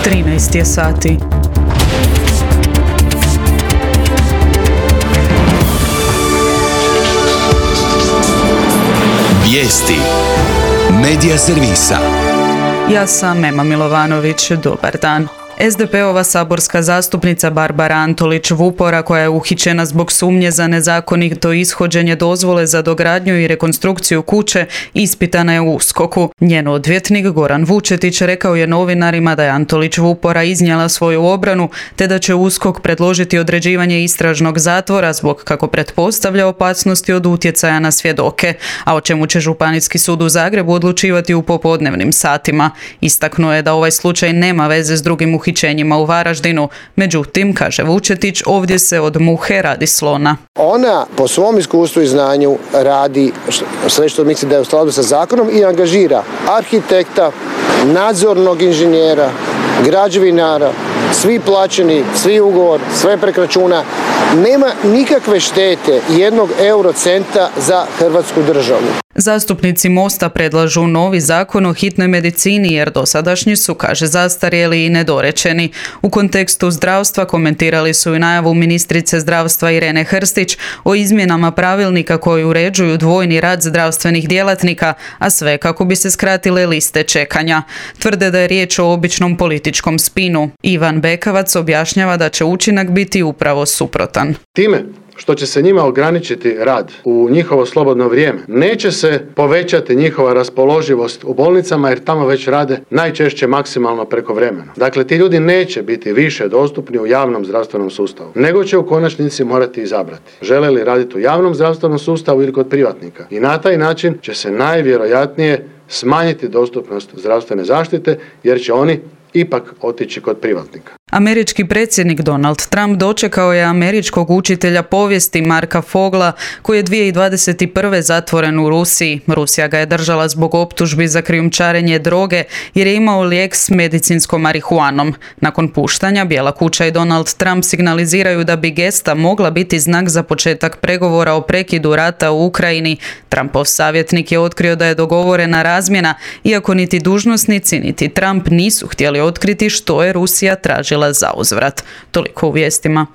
13 je sati. Vijesti Medija servisa. Ja sam Ema Milovanović, dobar dan. SDP-ova saborska zastupnica Barbara Antolić-Vupora, koja je uhićena zbog sumnje za nezakonito ishođenje dozvole za dogradnju i rekonstrukciju kuće, ispitana je u USKOK-u. Njen odvjetnik Goran Vučetić rekao je novinarima da je Antolić-Vupora iznijela svoju obranu, te da će USKOK predložiti određivanje istražnog zatvora zbog, kako pretpostavlja, opasnosti od utjecaja na svjedoke, a o čemu će Županijski sud u Zagrebu odlučivati u popodnevnim satima. Istaknuo je da ovaj slučaj nema veze s drugim uhićenjima u Varaždinu. Međutim, kaže Vučetić, ovdje se od muhe radi slona. Ona po svom iskustvu i znanju radi sve što misli da je u skladu sa zakonom i angažira arhitekta, nadzornog inženjera, građevinara, svi plaćeni, svi ugovor, sve preko računa. Nema nikakve štete jednog eurocenta za Hrvatsku državu. Zastupnici Mosta predlažu novi zakon o hitnoj medicini jer dosadašnji su, kaže, zastarjeli i nedorečeni. U kontekstu zdravstva komentirali su i najavu ministrice zdravstva Irene Hrstić o izmjenama pravilnika koji uređuju dvojni rad zdravstvenih djelatnika, a sve kako bi se skratile liste čekanja. Tvrde da je riječ o običnom političkom spinu. Ivan Bekavac objašnjava da će učinak biti upravo suprotan. Time što će se njima ograničiti rad u njihovo slobodno vrijeme, neće se povećati njihova raspoloživost u bolnicama jer tamo već rade najčešće maksimalno prekovremeno. Dakle, ti ljudi neće biti više dostupni u javnom zdravstvenom sustavu, nego će u konačnici morati izabrati žele li raditi u javnom zdravstvenom sustavu ili kod privatnika. I na taj način će se najvjerojatnije smanjiti dostupnost zdravstvene zaštite jer će oni ipak otići kod privatnika. Američki predsjednik Donald Trump dočekao je američkog učitelja povijesti Marka Fogla, koji je 2021. zatvoren u Rusiji. Rusija ga je držala zbog optužbi za krijumčarenje droge jer je imao lijek s medicinskom marihuanom. Nakon puštanja, Bijela kuća i Donald Trump signaliziraju da bi gesta mogla biti znak za početak pregovora o prekidu rata u Ukrajini. Trumpov savjetnik je otkrio da je dogovorena razmjena, iako niti dužnosnici niti Trump nisu htjeli otkriti što je Rusija tražila za uzvrat. Toliko u vijestima.